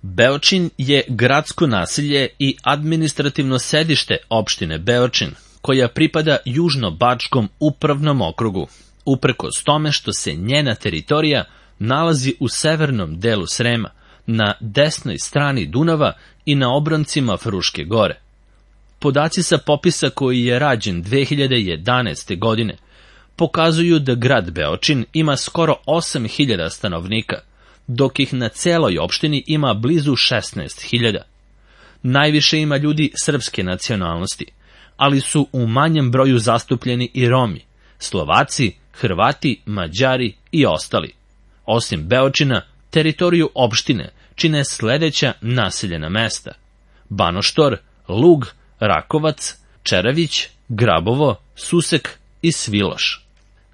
Beočin je gradsko naselje i administrativno sedište opštine Beočin, koja pripada Južno-Bačkom upravnom okrugu, uprkos tome što se njena teritorija nalazi u severnom delu Srema, na desnoj strani Dunava i na obroncima Fruške gore. Podaci sa popisa koji je rađen 2011. godine pokazuju da grad Beočin ima skoro 8.000 stanovnika, dok ih na celoj opštini ima blizu 16.000. Najviše ima ljudi srpske nacionalnosti, ali su u manjem broju zastupljeni i Romi, Slovaci, Hrvati, Mađari i ostali. Osim Beočina, teritoriju opštine čine sledeća naseljena mesta: Banoštor, Lug, Rakovac, Čerević, Grabovo, Susek i Sviloš.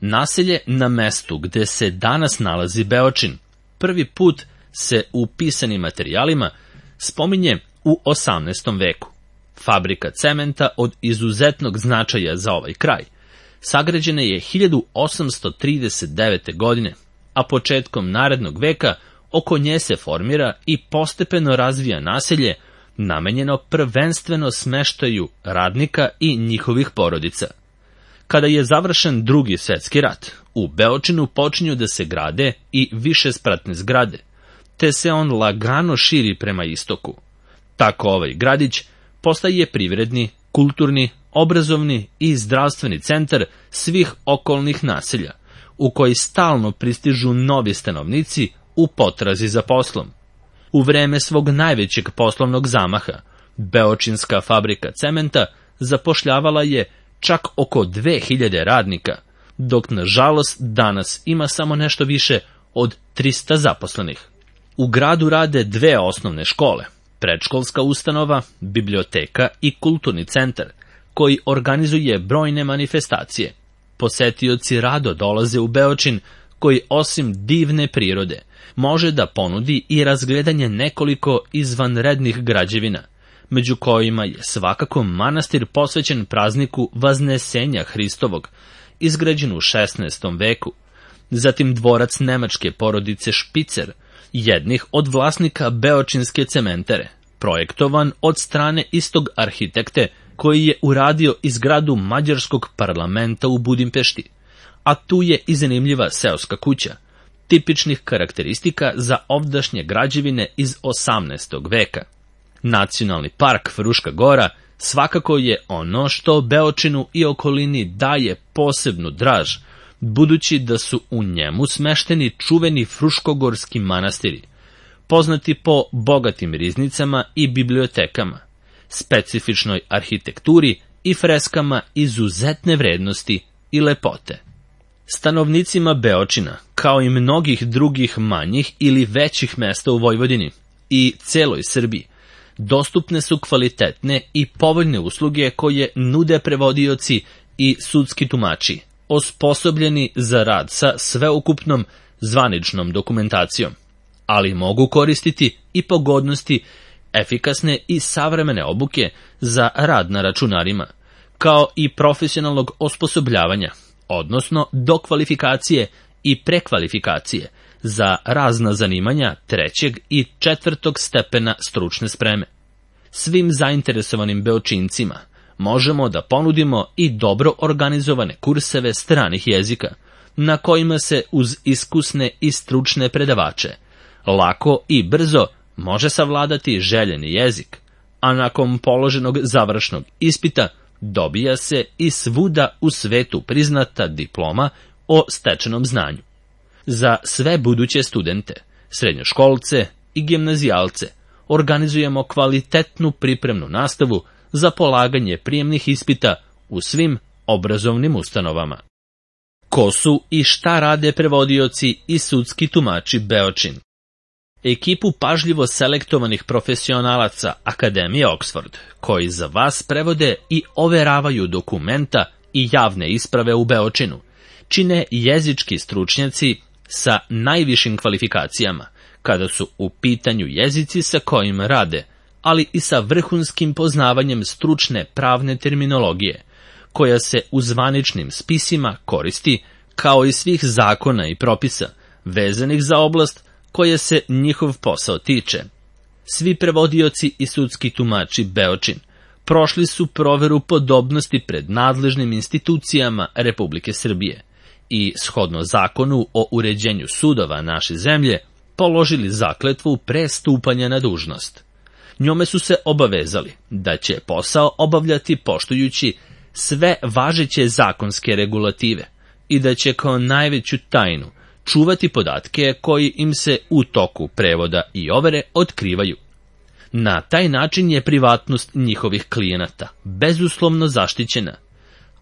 Naselje na mestu gde se danas nalazi Beočin prvi put se u pisanim materijalima spominje u 18. veku. Fabrika cementa od izuzetnog značaja za ovaj kraj sagrađena je 1839. godine, a početkom narednog veka oko nje se formira i postepeno razvija naselje namenjeno prvenstveno smeštaju radnika i njihovih porodica. Kada je završen Drugi svetski rat, u Beočinu počinju da se grade i višespratne zgrade, te se on lagano širi prema istoku. Tako ovaj gradić postaje privredni, kulturni, obrazovni i zdravstveni centar svih okolnih naselja, u koji stalno pristižu novi stanovnici u potrazi za poslom. U vreme svog najvećeg poslovnog zamaha, Beočinska fabrika cementa zapošljavala je čak oko 2000 radnika, dok nažalost danas ima samo nešto više od 300 zaposlenih. U gradu rade 2 osnovne škole, predškolska ustanova, biblioteka i kulturni centar, koji organizuje brojne manifestacije. Posetioci rado dolaze u Beočin, koji osim divne prirode može da ponudi i razgledanje nekoliko izvanrednih građevina, među kojima je svakako manastir posvećen prazniku Vaznesenja Hristovog, izgrađen u 16. veku, zatim dvorac nemačke porodice Špicer, jednih od vlasnika Beočinske cementere, projektovan od strane istog arhitekte koji je uradio i zgradu mađarskog parlamenta u Budimpešti, a tu je i zanimljiva seoska kuća, tipičnih karakteristika za ovdašnje građevine iz 18. veka. Nacionalni park Fruška gora svakako je ono što Beočinu i okolini daje posebnu draž, budući da su u njemu smešteni čuveni fruškogorski manastiri, poznati po bogatim riznicama i bibliotekama, specifičnoj arhitekturi i freskama izuzetne vrednosti i lepote. Stanovnicima Beočina, kao i mnogih drugih manjih ili većih mesta u Vojvodini i celoj Srbiji, dostupne su kvalitetne i povoljne usluge koje nude prevodioci i sudski tumači, osposobljeni za rad sa sveukupnom zvaničnom dokumentacijom, ali mogu koristiti i pogodnosti efikasne i savremene obuke za rad na računarima, kao i profesionalnog osposobljavanja, odnosno dokvalifikacije i prekvalifikacije za razna zanimanja 3. i 4. stepena stručne spreme. Svim zainteresovanim Beočincima možemo da ponudimo i dobro organizovane kurseve stranih jezika, na kojima se uz iskusne i stručne predavače lako i brzo može savladati željeni jezik, a nakon položenog završnog ispita dobija se i svuda u svetu priznata diploma o stečenom znanju. Za sve buduće studente, srednjoškolce i gimnazijalce organizujemo kvalitetnu pripremnu nastavu za polaganje prijemnih ispita u svim obrazovnim ustanovama. Ko su i šta rade prevodioci i sudski tumači Beočin? Ekipu pažljivo selektovanih profesionalaca Akademije Oxford, koji za vas prevode i overavaju dokumenta i javne isprave u Beočinu, čine jezički stručnjaci sa najvišim kvalifikacijama, kada su u pitanju jezici sa kojima rade, ali i sa vrhunskim poznavanjem stručne pravne terminologije, koja se u zvaničnim spisima koristi, kao i svih zakona i propisa vezanih za oblast koje se njihov posao tiče. Svi prevodioci i sudski tumači Beočin prošli su proveru podobnosti pred nadležnim institucijama Republike Srbije i, shodno zakonu o uređenju sudova naše zemlje, položili zakletvu pre stupanja na dužnost. Njome su se obavezali da će posao obavljati poštujući sve važeće zakonske regulative i da će kao najveću tajnu čuvati podatke koji im se u toku prevoda i overe otkrivaju. Na taj način je privatnost njihovih klijenata bezuslovno zaštićena,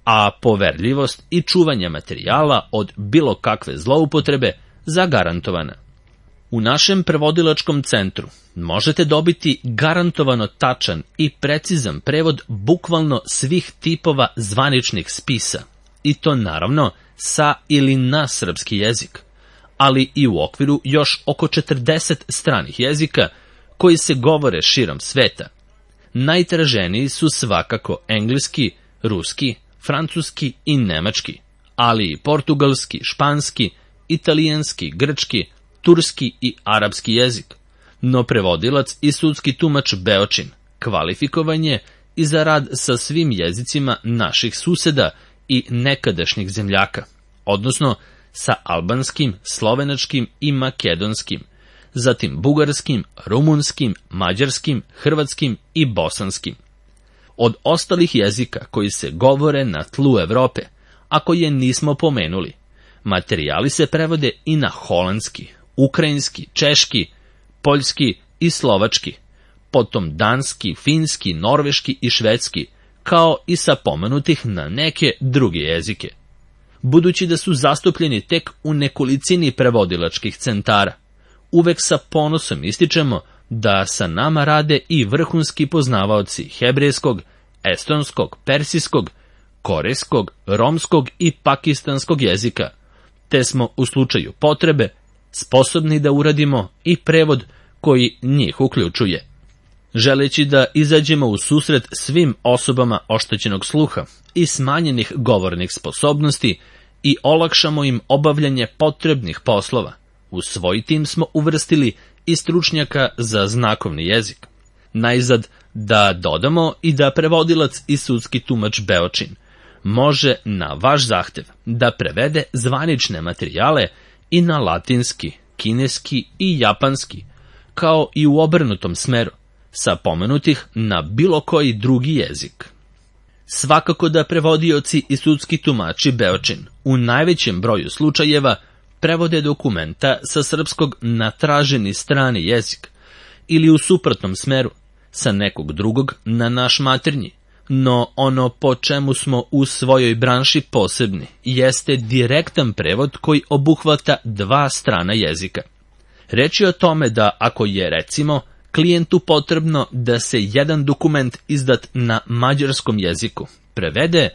a poverljivost i čuvanje materijala od bilo kakve zloupotrebe zagarantovana. U našem prevodilačkom centru možete dobiti garantovano tačan i precizan prevod bukvalno svih tipova zvaničnih spisa, i to naravno sa ili na srpski jezik, ali i u okviru još oko 40 stranih jezika koji se govore širom sveta. Najtraženiji su svakako engleski, ruski, francuski i nemački, ali i portugalski, španski, italijanski, grčki, turski i arapski jezik. No prevodilac i sudski tumač Beočin kvalifikovan je i za rad sa svim jezicima naših suseda i nekadašnjih zemljaka, odnosno sa albanskim, slovenačkim i makedonskim, zatim bugarskim, rumunskim, mađarskim, hrvatskim i bosanskim. Od ostalih jezika koji se govore na tlu Evrope, a koje nismo pomenuli, materijali se prevode i na holandski, ukrajinski, češki, poljski i slovački, potom danski, finski, norveški i švedski, kao i sa pomenutih na neke druge jezike. Budući da su zastupljeni tek u nekolicini prevodilačkih centara, uvek sa ponosom ističemo da sa nama rade i vrhunski poznavaoci hebrejskog, estonskog, persijskog, korejskog, romskog i pakistanskog jezika, te smo u slučaju potrebe sposobni da uradimo i prevod koji njih uključuje. Želeći da izađemo u susret svim osobama oštećenog sluha i smanjenih govornih sposobnosti i olakšamo im obavljanje potrebnih poslova, u svoj tim smo uvrstili i stručnjaka za znakovni jezik. Najzad da dodamo i da prevodilac i sudski tumač Beočin može na vaš zahtev da prevede zvanične materijale i na latinski, kineski i japanski, kao i u obrnutom smeru, sa pomenutih na bilo koji drugi jezik. Svakako da prevodioci i sudski tumači Beočin u najvećem broju slučajeva prevode dokumenta sa srpskog na traženi strani jezik ili u suprotnom smeru, sa nekog drugog na naš maternji, no ono po čemu smo u svojoj branši posebni jeste direktan prevod koji obuhvata dva strana jezika. Reč je o tome da ako je, recimo, klijentu potrebno da se jedan dokument izdat na mađarskom jeziku prevede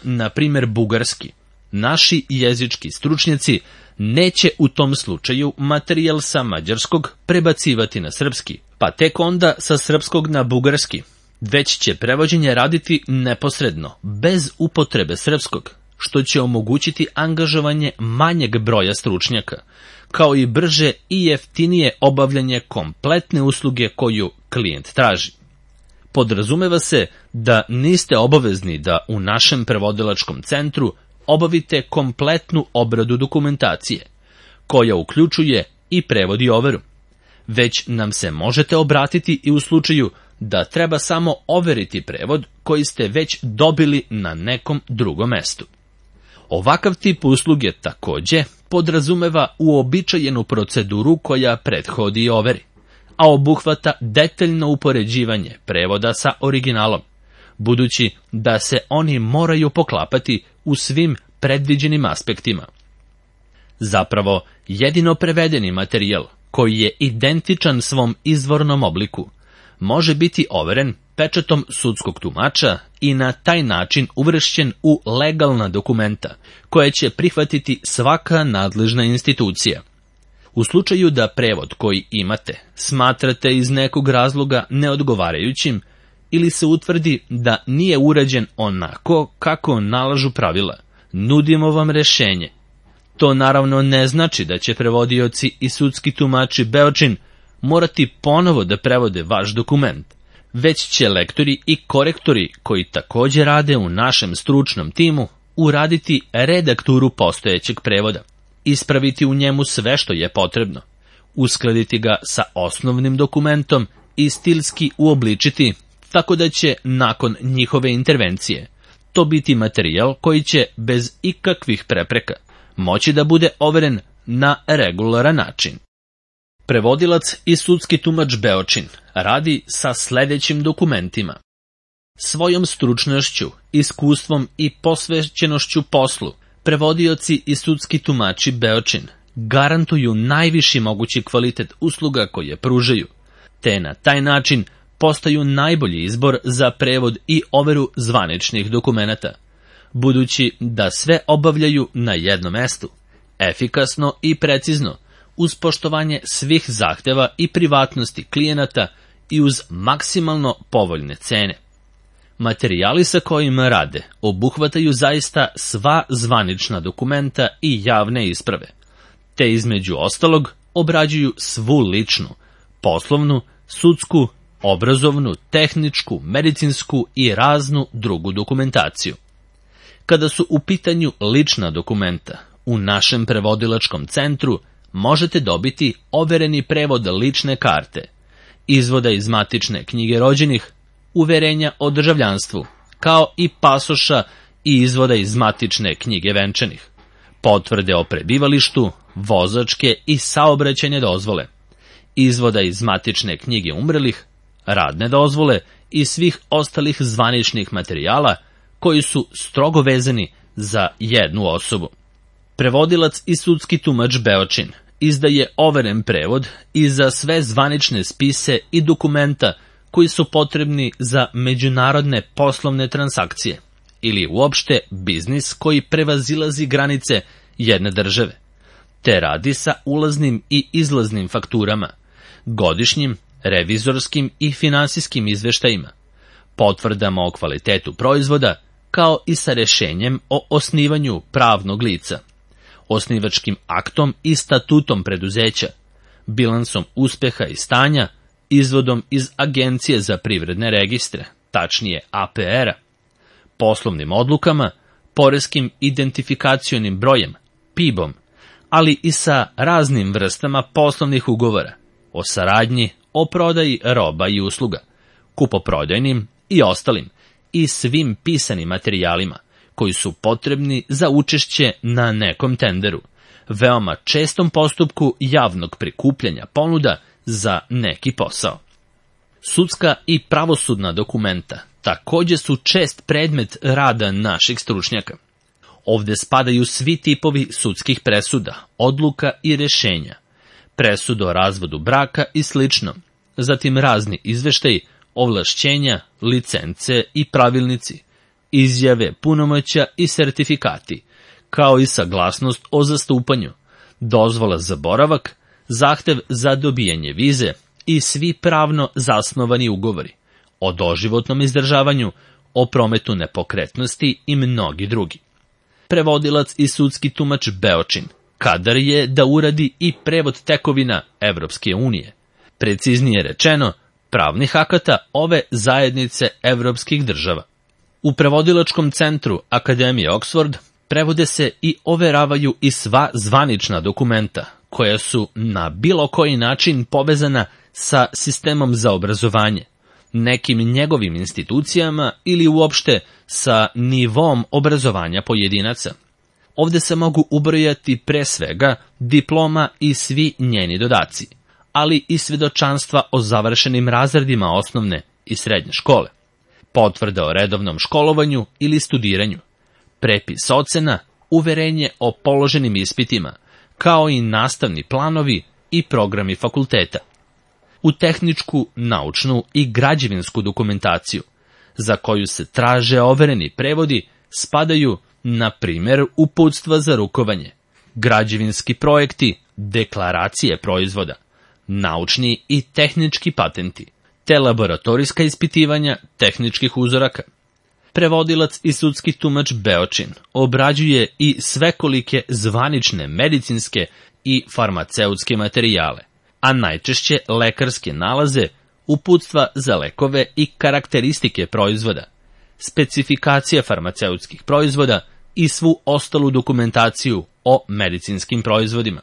na primjer, bugarski, naši jezički stručnjaci neće u tom slučaju materijal sa mađarskog prebacivati na srpski, pa tek onda sa srpskog na bugarski, već će prevođenje raditi neposredno, bez upotrebe srpskog, što će omogućiti angažovanje manjeg broja stručnjaka, kao i brže i jeftinije obavljanje kompletne usluge koju klijent traži. Podrazumeva se da niste obavezni da u našem prevodilačkom centru obavite kompletnu obradu dokumentacije, koja uključuje i prevod i overu, već nam se možete obratiti i u slučaju da treba samo overiti prevod koji ste već dobili na nekom drugom mestu. Ovakav tip usluge takođe podrazumeva uobičajenu proceduru koja prethodi overi, a obuhvata detaljno upoređivanje prevoda sa originalom, budući da se oni moraju poklapati u svim predviđenim aspektima. Zapravo, jedino prevedeni materijal, koji je identičan svom izvornom obliku, može biti overen pečatom sudskog tumača i na taj način uvršćen u legalna dokumenta, koje će prihvatiti svaka nadležna institucija. U slučaju da prevod koji imate smatrate iz nekog razloga neodgovarajućim ili se utvrdi da nije urađen onako kako nalažu pravila, nudimo vam rešenje. To naravno ne znači da će prevodioci i sudski tumači Beočin morati ponovo da prevode vaš dokument, već će lektori i korektori koji takođe rade u našem stručnom timu uraditi redakturu postojećeg prevoda, ispraviti u njemu sve što je potrebno, uskladiti ga sa osnovnim dokumentom i stilski uobličiti, tako da će nakon njihove intervencije to biti materijal koji će bez ikakvih prepreka moći da bude overen na regularan način. Prevodilac i sudski tumač Beočin radi sa sledećim dokumentima. Svojom stručnošću, iskustvom i posvećenošću poslu, prevodioci i sudski tumači Beočin garantuju najviši mogući kvalitet usluga koje pružaju, te na taj način postaju najbolji izbor za prevod i overu zvaničnih dokumenata, budući da sve obavljaju na jednom mestu, efikasno i precizno, uz poštovanje svih zahteva i privatnosti klijenata i uz maksimalno povoljne cene. Materijali sa kojima rade obuhvataju zaista sva zvanična dokumenta i javne isprave, te između ostalog obrađuju svu ličnu, poslovnu, sudsku, obrazovnu, tehničku, medicinsku i raznu drugu dokumentaciju. Kada su u pitanju lična dokumenta, u našem prevodilačkom centru možete dobiti overeni prevod lične karte, izvoda iz matične knjige rođenih, uverenja o državljanstvu, kao i pasoša i izvoda iz matične knjige venčanih, potvrde o prebivalištu, vozačke i saobraćajne dozvole, izvoda iz matične knjige umrlih, radne dozvole i svih ostalih zvaničnih materijala koji su strogo vezani za jednu osobu. Prevodilac i sudski tumač Beočin izdaje overen prevod i za sve zvanične spise i dokumenta koji su potrebni za međunarodne poslovne transakcije ili uopšte biznis koji prevazilazi granice jedne države, te radi sa ulaznim i izlaznim fakturama, godišnjim, revizorskim i finansijskim izveštajima, potvrdama o kvalitetu proizvoda, kao i sa rešenjem o osnivanju pravnog lica, osnivačkim aktom i statutom preduzeća, bilansom uspeha i stanja, izvodom iz Agencije za privredne registre, tačnije APR-a, poslovnim odlukama, poreskim identifikacionim brojem, PIB-om, ali i sa raznim vrstama poslovnih ugovora, o saradnji, o prodaji roba i usluga, kupoprodajnim i ostalim, i svim pisanim materijalima koji su potrebni za učešće na nekom tenderu, veoma čestom postupku javnog prikupljanja ponuda za neki posao. Sudska i pravosudna dokumenta takođe su čest predmet rada naših stručnjaka. Ovde spadaju svi tipovi sudskih presuda, odluka i rešenja, presuda o razvodu braka i slično, zatim razni izveštaji, ovlašćenja, licence i pravilnici, izjave, punomoćja i sertifikati, kao i saglasnost o zastupanju, dozvola za boravak, zahtev za dobijanje vize i svi pravno zasnovani ugovori, o doživotnom izdržavanju, o prometu nepokretnosti i mnogi drugi. Prevodilac i sudski tumač Beočin kadar je da uradi i prevod tekovina Evropske unije, preciznije rečeno, pravnih akata ove zajednice evropskih država. U prevodilačkom centru Akademije Oxford prevode se i overavaju i sva zvanična dokumenta, koja su na bilo koji način povezana sa sistemom za obrazovanje, nekim njegovim institucijama ili uopšte sa nivom obrazovanja pojedinaca. Ovde se mogu ubrojati pre svega diploma i svi njeni dodaci, ali i svedočanstva o završenim razredima osnovne i srednje škole, potvrda o redovnom školovanju ili studiranju, prepis ocena, uverenje o položenim ispitima, kao i nastavni planovi i programi fakulteta. U tehničku, naučnu i građevinsku dokumentaciju, za koju se traže overeni prevodi, spadaju, na primjer, uputstva za rukovanje, građevinski projekti, deklaracije proizvoda, naučni i tehnički patenti, te laboratorijska ispitivanja tehničkih uzoraka. Prevodilac i sudski tumač Beočin obrađuje i svekolike zvanične medicinske i farmaceutske materijale, a najčešće lekarske nalaze, uputstva za lekove i karakteristike proizvoda, specifikacija farmaceutskih proizvoda i svu ostalu dokumentaciju o medicinskim proizvodima.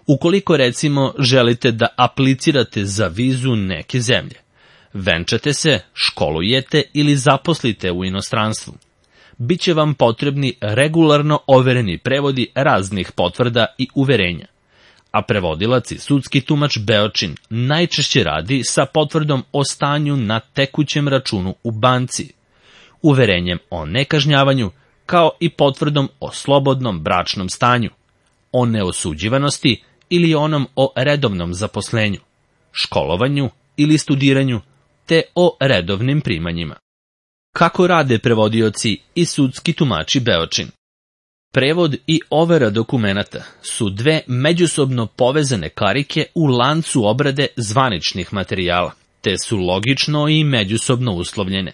Ukoliko recimo želite da aplicirate za vizu neke zemlje, venčate se, školujete ili zaposlite u inostranstvu, biće vam potrebni regularno overeni prevodi raznih potvrda i uverenja, a prevodilac i sudski tumač Beočin najčešće radi sa potvrdom o stanju na tekućem računu u banci, uverenjem o nekažnjavanju, kao i potvrdom o slobodnom bračnom stanju, o neosuđivanosti ili onom o redovnom zaposlenju, školovanju ili studiranju, te o redovnim primanjima. Kako rade prevodioci i sudski tumači Beočin? Prevod i overa dokumenata su dve međusobno povezane karike u lancu obrade zvaničnih materijala, te su logično i međusobno uslovljene.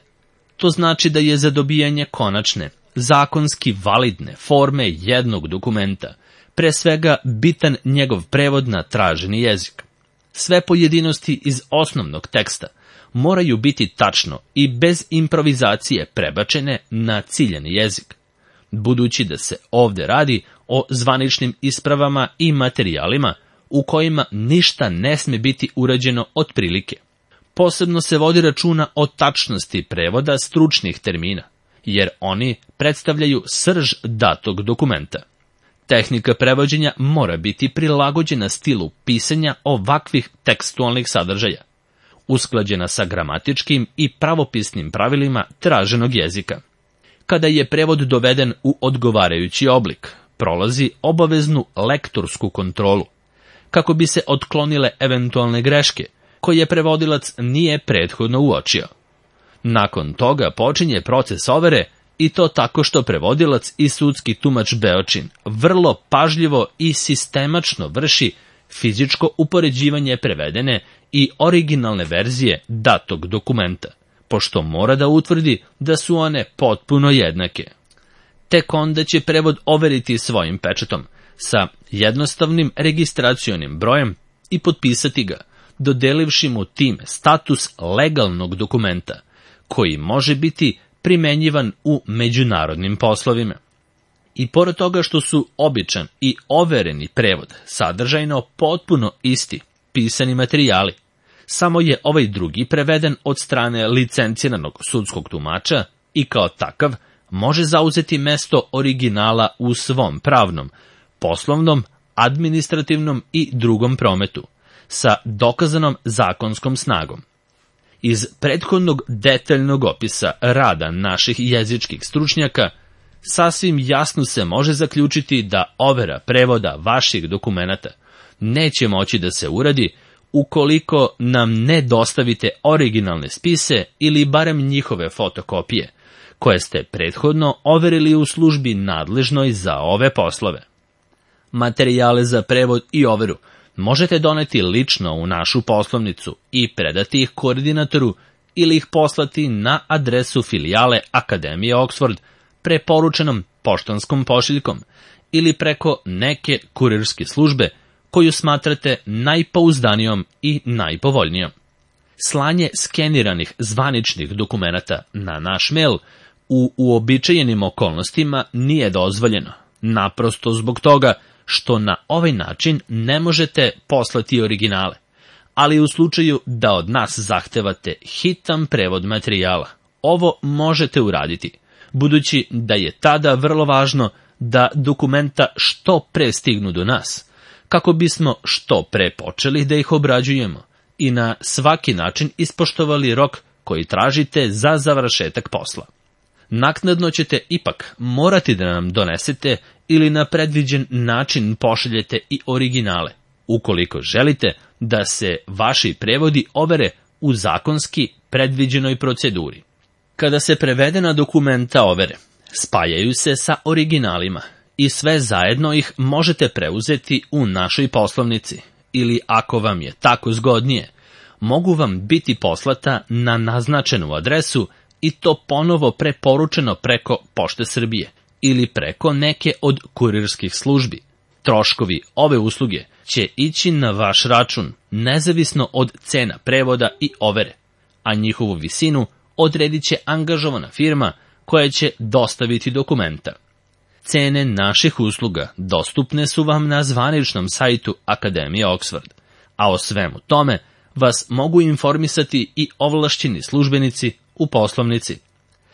To znači da je za dobijanje konačne, zakonski validne forme jednog dokumenta pre svega bitan njegov prevod na traženi jezik. Sve pojedinosti iz osnovnog teksta moraju biti tačno i bez improvizacije prebačene na ciljani jezik, budući da se ovde radi o zvaničnim ispravama i materijalima u kojima ništa ne sme biti urađeno otprilike. Posebno se vodi računa o tačnosti prevoda stručnih termina, jer oni predstavljaju srž datog dokumenta. Tehnika prevođenja mora biti prilagođena stilu pisanja ovakvih tekstualnih sadržaja, usklađena sa gramatičkim i pravopisnim pravilima traženog jezika. Kada je prevod doveden u odgovarajući oblik, prolazi obaveznu lektorsku kontrolu, kako bi se otklonile eventualne greške koje prevodilac nije prethodno uočio. Nakon toga počinje proces overe, i to tako što prevodilac i sudski tumač Beočin vrlo pažljivo i sistemačno vrši fizičko upoređivanje prevedene i originalne verzije datog dokumenta, pošto mora da utvrdi da su one potpuno jednake. Tek onda će prevod overiti svojim pečatom sa jednostavnim registracionim brojem i potpisati ga, dodelivši mu time status legalnog dokumenta, koji može biti primenjivan u međunarodnim poslovima. I pored toga što su običan i overeni prevod sadržajno potpuno isti pisani materijali, samo je ovaj drugi preveden od strane licenciranog sudskog tumača i kao takav može zauzeti mesto originala u svom pravnom, poslovnom, administrativnom i drugom prometu, sa dokazanom zakonskom snagom. Iz prethodnog detaljnog opisa rada naših jezičkih stručnjaka sasvim jasno se može zaključiti da overa prevoda vaših dokumenata neće moći da se uradi ukoliko nam ne dostavite originalne spise ili barem njihove fotokopije, koje ste prethodno overili u službi nadležnoj za ove poslove. Materijale za prevod i overu možete doneti lično u našu poslovnicu i predati ih koordinatoru ili ih poslati na adresu filijale Akademije Oxford preporučenom poštanskom pošiljkom ili preko neke kurirske službe koju smatrate najpouzdanijom i najpovoljnijom. Slanje skeniranih zvaničnih dokumenata na naš mail u uobičajenim okolnostima nije dozvoljeno, naprosto zbog toga što na ovaj način ne možete poslati originale, ali u slučaju da od nas zahtevate hitan prevod materijala, ovo možete uraditi, budući da je tada vrlo važno da dokumenta što pre stignu do nas, kako bismo što pre počeli da ih obrađujemo i na svaki način ispoštovali rok koji tražite za završetak posla. Naknadno ćete ipak morati da nam donesete ili na predviđen način pošaljete i originale, ukoliko želite da se vaši prevodi overe u zakonski predviđenoj proceduri. Kada se prevedena dokumenta overe, spajaju se sa originalima i sve zajedno ih možete preuzeti u našoj poslovnici ili, ako vam je tako zgodnije, mogu vam biti poslata na naznačenu adresu i to ponovo preporučeno preko Pošte Srbije ili preko neke od kurirskih službi. Troškovi ove usluge će ići na vaš račun, nezavisno od cena prevoda i overe, a njihovu visinu odredit će angažovana firma koja će dostaviti dokumenta. Cene naših usluga dostupne su vam na zvaničnom sajtu Akademije Oxford, a o svemu tome vas mogu informisati i ovlašćeni službenici u poslovnici.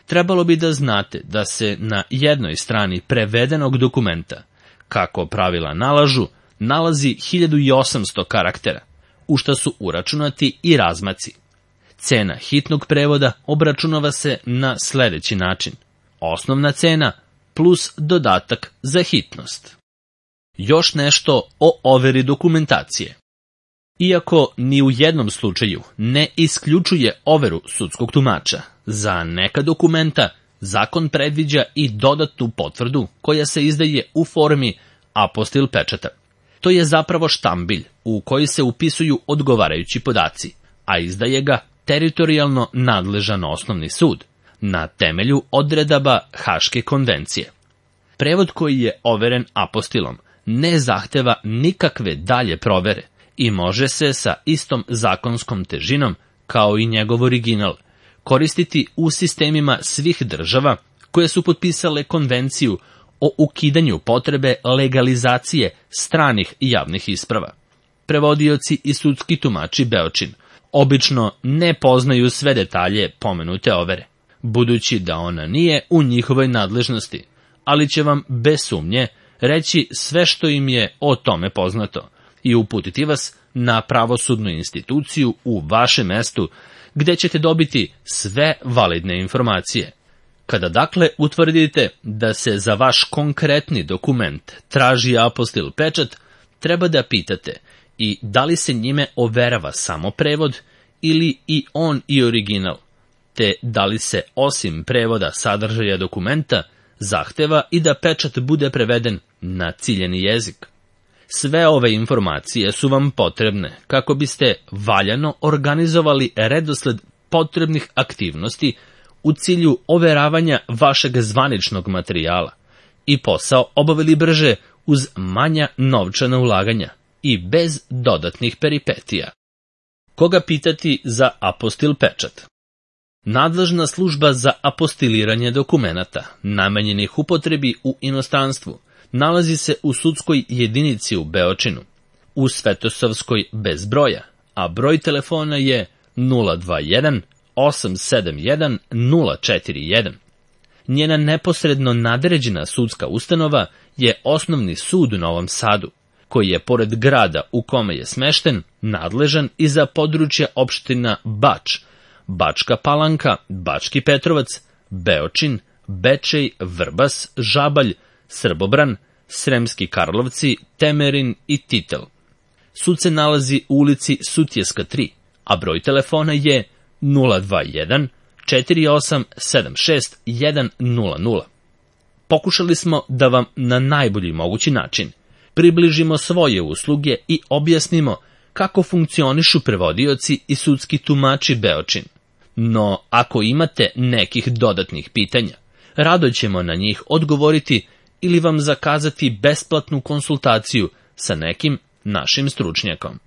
Trebalo bi da znate da se na jednoj strani prevedenog dokumenta, kako pravila nalažu, nalazi 1800 karaktera, u šta su uračunati i razmaci. Cena hitnog prevoda obračunava se na sledeći način: osnovna cena plus dodatak za hitnost. Još nešto o overi dokumentacije. Iako ni u jednom slučaju ne isključuje overu sudskog tumača, za neka dokumenta zakon predviđa i dodatnu potvrdu koja se izdaje u formi apostil pečata. To je zapravo štambilj u koji se upisuju odgovarajući podaci, a izdaje ga teritorijalno nadležan osnovni sud na temelju odredaba Haške konvencije. Prevod koji je overen apostilom ne zahteva nikakve dalje provere i može se sa istom zakonskom težinom kao i njegov original koristiti u sistemima svih država koje su potpisale konvenciju o ukidanju potrebe legalizacije stranih javnih isprava. Prevodioci i sudski tumači Beočin obično ne poznaju sve detalje pomenute overe, budući da ona nije u njihovoj nadležnosti, ali će vam bez sumnje reći sve što im je o tome poznato i uputiti vas na pravosudnu instituciju u vašem mestu, gde ćete dobiti sve validne informacije. Kada dakle utvrdite da se za vaš konkretni dokument traži apostil pečat, treba da pitate i da li se njime overava samo prevod ili i on i original, te da li se osim prevoda sadržaja dokumenta zahteva i da pečat bude preveden na ciljeni jezik. Sve ove informacije su vam potrebne kako biste valjano organizovali redosled potrebnih aktivnosti u cilju overavanja vašeg zvaničnog materijala i posao obavili brže uz manja novčana ulaganja i bez dodatnih peripetija. Koga pitati za apostil pečat? Nadležna služba za apostiliranje dokumenata, namenjenih upotrebi u inostranstvu, nalazi se u sudskoj jedinici u Beočinu, u Svetosavskoj bez broja, a broj telefona je 021 871 041. Njena neposredno nadređena sudska ustanova je Osnovni sud u Novom Sadu, koji je pored grada u kome je smešten nadležan i za područja opština Bač, Bačka Palanka, Bački Petrovac, Beočin, Bečej, Vrbas, Žabalj, Srbobran, Sremski Karlovci, Temerin i Titel. Sud se nalazi u ulici Sutjeska 3, a broj telefona je 021 4876 100. Pokušali smo da vam na najbolji mogući način približimo svoje usluge i objasnimo kako funkcionišu prevodioci i sudski tumači Beočin. No, ako imate nekih dodatnih pitanja, rado ćemo na njih odgovoriti ili vam zakazati besplatnu konsultaciju sa nekim našim stručnjakom.